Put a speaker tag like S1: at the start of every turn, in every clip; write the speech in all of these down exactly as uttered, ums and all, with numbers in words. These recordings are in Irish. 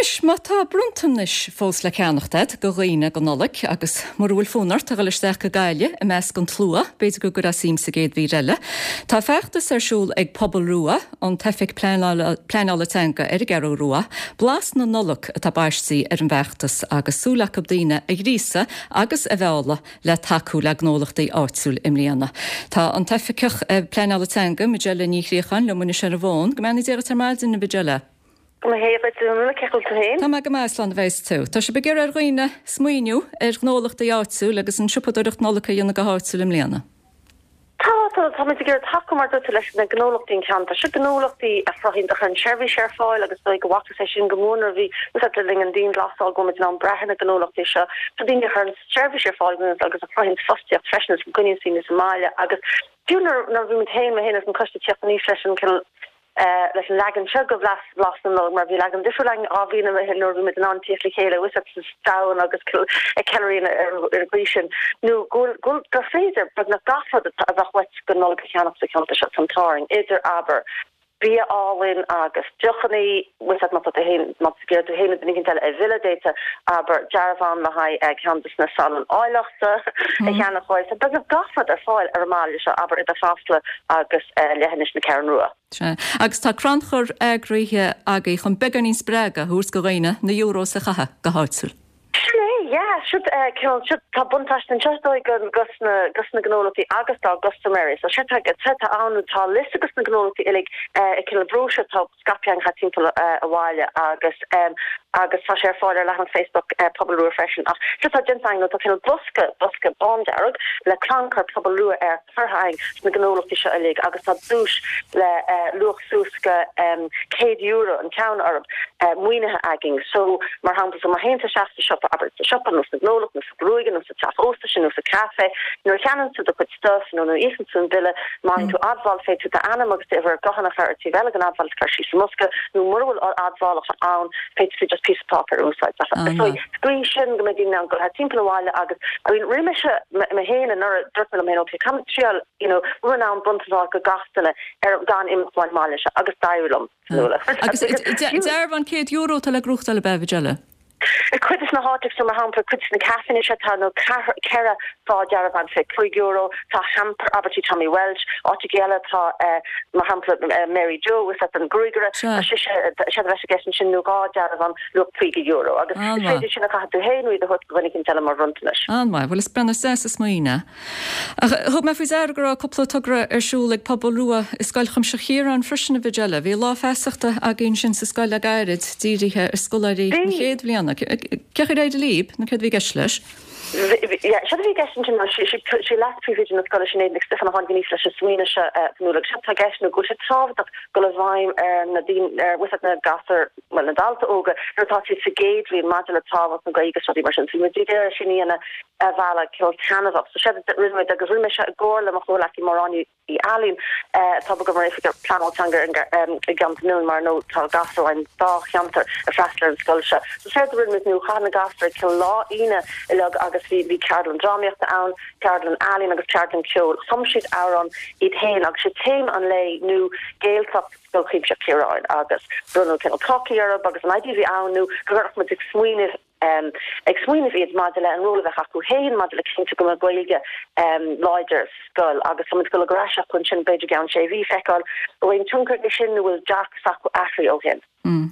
S1: Anois, má tá bronntanais fós le ceannacht agat do dhaoine don Nollaig agus mura bhfuil fonn ort a dhul isteach go Gaillimh i measc an tslua, b'fhéidir go gcuirfeá suim sa gcéad mhír eile. Tá feachtas ar siúl ag Pobal Rua, an tOifig Pleanála Pleanála Teanga ar an gCeathrú Rua, Blas na Nollag atá baiste ar an bhfeachtas agus súil acu daoine a ghríosadh agus a mhealladh le tacú le gnólachtaí áitiúil i mbliana. Tá an tOifigeach Pleanála Teanga, Majella Ní Chríocháin, liom anois ar an bhfón. Go mbeannaí Dia duit ar maidin, a Mhajella.
S2: Go maith duit, cén chaoi a bhfuil tú féin?
S1: Tá mé go maith, slán a bheas tú. Tá sibh ag iarraidh ar dhaoine smaoineamh ar ghnólachtaí áitiúil agus an siopadóireacht Nollag a dhéanamh go háitiúil i mbliana.
S2: Tá tá táimid ag iarraidh tacú mar dúirt leis na gnólachtaí an ceantar. Seo gnólachtaí a chruthaíonn a chuireann seirbhís ar fáil agus dóigh go bhfacthas é sin go mór nuair a bhí úsáid le linn an dianghlasáil go bhfuil muid in ann brath ar na gnólachtaí seo. Tá daoine a chuireann seirbhís ar fáil agus a chruthaíonn fostaíocht freisin is go gcoinníonn daoine sa mbaile agus fiú nuair nuair a bhí muid féin mé féin agus an coiste teacht aníos leis an cineál leis an leagan seo de Bhlas Blas na Nollag mar bhí leagan difriúil againn dhá bhliain ó shin nuair a bhí muid in ann tíocht le chéile with down agus ag ceiliúradh ar ar an gcaoi sin nó go bhfuil gur féidir beagnach gach rud a bheadh uait don Nollaig a cheannach sa cheantar seo san Táraing idir abair bia álainn agus deochanna with má tá tú féin má tá tú féin duine eile a mhilleadh d'fhéadfá abair dearbhán le haghaidh ceann de na salóin áilleachta a cheannach uaidh. So beagnach gach rud ar fáil ar an mbaile seo abair idir Chasla agus leithinis na Ceathrún Rua.
S1: Sea. Agus tá crannchur eagraithe agaibh chun beagáinín spreagadh a thabhairt do dhaoine na euros a chaitheamh go háitiúil.
S2: Sin é, yeah, siod cineál siod tá buntáiste anseo is dóigh go gus na gus na gnólachtaí agus dá gcustaiméirí. So séard tá séard tá ann tá liosta gus na gnólachtaí uilig i cineál brochure atá scaipthe againn thart timpeall an bhaile agus agus tá sé ar fáil ar leathanach Facebook Pobal Rua freisin. Ach séard atá déanta againn nó tá cineál bosca bosca bándearg le crannchur Pobal Rua air curtha againn sna gnólachtaí seo uilig agus tá duais le luach suas go céad euro an ceann orthu maoinithe againn. So mar shampla so má théann tú isteach sa siopa abair sa siopa nó sa ghnólacht nó sa ghruaige nó sa teach ósta sin nó sa café nuair a cheannaíonn tú do chuid stuff nó nuair a íocann tú an bille má fhaigheann tú admháil féadfaidh tú d'ainm agus d'uimhir gutháin a chur ar taobh eile den admháil is cur síos sa mbosca nó mura bhfuil admhálacha ann féadfaidh tú just píosa páipéir a úsáid. So gcaoi sin go mbeidh daoine in ann dul thart timpeall an bhaile agus I mean rinne mise mé féin anuraidh dúirt mé liom féin okay caithfidh mé triail you know bhfuil in ann bronntanas a fháil go gach duine ar gan imeacht ón mbaile seo agus d'éirigh liom.
S1: Agus dearbhán céad euro atá le gnóthachtáil ab ea a Mhajella?
S2: I cuid de na háiteacha so mar shampla cuid de na caiféanna seo tá nó ceithre fá dearbhán fiche cúig euro tá hamper abair tí Tommy Walsh áiteacha eile tá mar shampla Mary Jo is an gruagaire tá sise sé a bheith i gceist ansin nó dhá dearbhán luach caoga euro agus is féidir sin a chaitheamh tú féin nó iad a thabhairt do dhuine éicint eile mar bhronntanais.
S1: An-mhaith, bhuel is breathnú deas is smaoineamh. Ach thug mé faoi deara go raibh cúpla togra ar siúl ag Pobal Rua i Scoil Chuimsitheach Chiaráin freisin a Mhajella. Bhí lá feasachta againn sin sa scoil le gairid dírithe ar scoláirí na chéad bhliana. Cén chaoi ar éirigh libh nó céard a bhí i gceist leis?
S2: Séard a bhí i gceist ansin ná sí leas-phríomhoide na scoile Sinéad Nic Stiofáin a tháinig aníos leis an smaoineamh seo Fionnuala agus séard atá i gceist nó go bhfuil sé tábhachtach dul i bhfeidhm ar na daoine ar bhfuil na gasúir bhuel na daltaí óga nuair atá siad sa gcéad bhliain maidir le tábhacht na Gaeilge agus rudaí mar sin. So muid ag iarraidh sin a dhéanamh ar bhealach cineál taitneamhach. So séard a rinne muid agus rinne mé seo i gcomhar le mo chomhghleacaí Máire Áine Uí Ailín atá ag obair mar oifigeach pleanála teanga i gceantar na nOileán mar nó tá gasúir ón dá cheantar ag freastal ar an scoil seo. So séard a rinne muid nó chaith na gasúir cineál lá Aoine uilig agus bhí bhí ceardlann drámaíochta ann, ceardlann ealaíon agus ceardlann ceoil. Chum siad amhrán iad féin agus sé téama an lae nó Gaeltacht Scoil Chuimsitheach Chiaráin agus bronnadh cineál cácaí orthu agus an idea a bhí ann nó go gcuirfeadh muid ag smaoineamh ag smaoineamh iad maidir le an ról a bheadh acu féin maidir le cinntiú go mbeadh Gaeilge láidir sa scoil agus tá muid ag dul ar ais acu ansin b'fhéidir i gceann sé mhí feiceáil an bhfuil aon tionchar aige sin nó bhfuil dearcadh s'acu athraithe ó shin.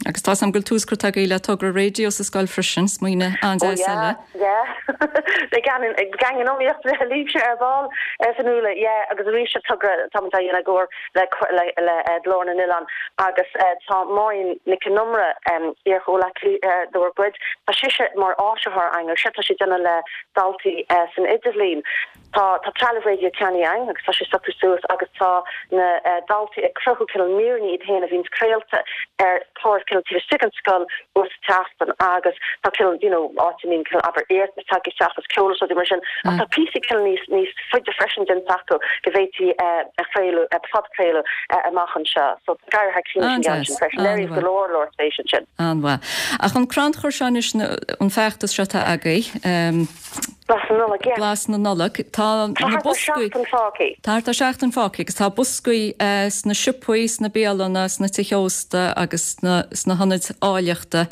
S1: Agus tá 's agam go bhfuil tús curtha agaibh le togra raidió sa scoil freisin, smaoineamh
S2: an-deas
S1: eile.
S2: Oh yeah, yeah. Beidh gang in iomaíocht libhse ar ball, a Fhionnuala, yeah agus arís seo togra atá muid á dhéanamh i gcomhar le le Glór na nOileán agus tá Máirín Nic an Iomaire, iar-chomhghleacaí dár gcuid, tá sise mar áisitheoir againn agus séard atá sí ag déanamh le daltaí san idirbhliain. Tá tá trealamh raidió ceannaithe againn agus tá sé socraithe suas agus tá na daltaí ag cruthú cineál míreanna iad féin a bhíonns craolta ar chlár cineál taobh istigh den scoil uair sa tseachtain agus tá cineál you know áit a mbíonn cineál abair iarratas tagtha isteach agus ceol is rudaí mar sin ach tá píosaí cineál níos níos faide freisin déanta acu go bhféadfaí a chraoladh, a phodchraoladh amach anseo. So tá ag éirí thar cionn leis an gceann sin freisin. Léiríodh go leor leor spéise ansin.
S1: An-mhaith. Ach an crannchur seo anois, an feachtas seo atá agaibh,
S2: Blas na Nollag, yeah.
S1: Blas na Nollag. Tá na boscaí.
S2: Tá thart ar seachtain fágtha.
S1: Tá thart ar seachtain fágtha agus tá boscaí sna siopaí, sna bialanna, sna tithe ósta agus sna sna hionaid áilleachta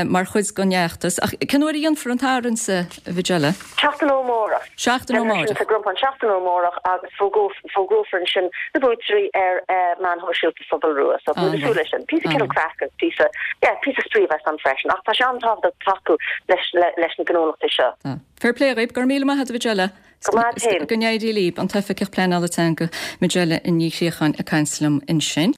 S1: mar chuid den fheachtas. Ach cén uair a dhéanfar an tarraingt, a Mhajella?
S2: Seachtain ó amárach.
S1: Seachtain ó amárach.
S2: Déanfar sin sa gCrompán seachtain ó amárach agus fógrófar ansin na buaiteoirí ar meáin shóisialta Phobal Rua. So tá muid ag súil leis sin. Píosa cineál craic agus píosa, yeah, píosa spraoi a bheas ann freisin. Ach tá sé an-tábhachtach tacú leis leis na gnólachtaí seo.
S1: Fair play dhaoibh, go raibh míle maith agat a Mhajella.
S2: Go maith féin.
S1: Go n-éirí libh, an tOifigeach Pleanála Teanga Majella Ní Chríocháin ag caint liom ansin.